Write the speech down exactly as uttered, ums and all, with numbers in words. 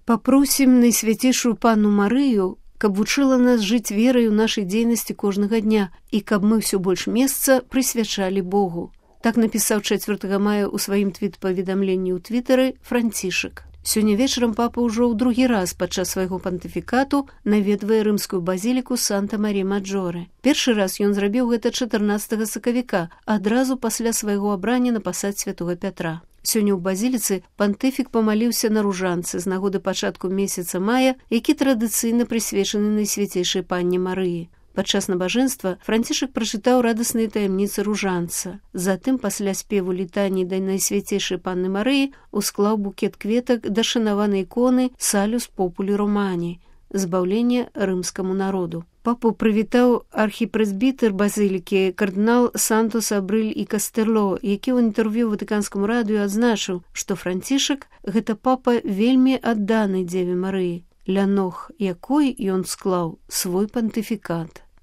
Папросім найсвяцейшую панну Марыю, каб вучыла нас жыць верай у нашай дзейнасці кожнага дня і каб мы ўсё больш месца прысвячалі Богу. Так напісаў чацвёртага мая ў сваім твіт-паведамленні ў твітары Францішак. Сёння вечарам папа ўжо ў другі раз падчас свайго пантыфікату наведвае рымскую базіліку Санта-Марі-Маджоре. Першы раз ён зрабіў гэта чатырнаццатага сакавіка, адразу пасля свайго абрання на пасад святога Пятра. Сёння ў базіліцы пантыфік памаліўся на ружанцы з нагоды пачатку месяца мая, які традыцыйна прысвечаны найсвяцейшай панне Марыі. Падчас набажэнства Францішак прачытаў радасныя таямніцы ружанца. Затым, пасля спеву літані да найсвяцейшай панны Марыі, усклаў букет кветак да шанаванай іконы Салюс Популі Романі, збаўлення рымскаму народу. Папу прывітаў архіпрэзбітэр базылікі кардынал Сантос Абрыль і Кастерло, які ў інтэрв'ю ватыканскаму радыё адзначыў, што Францішак – гэта папа вельмі адданы Дзеве Марыі, ля ног якой ён склаў свой пантыфікат.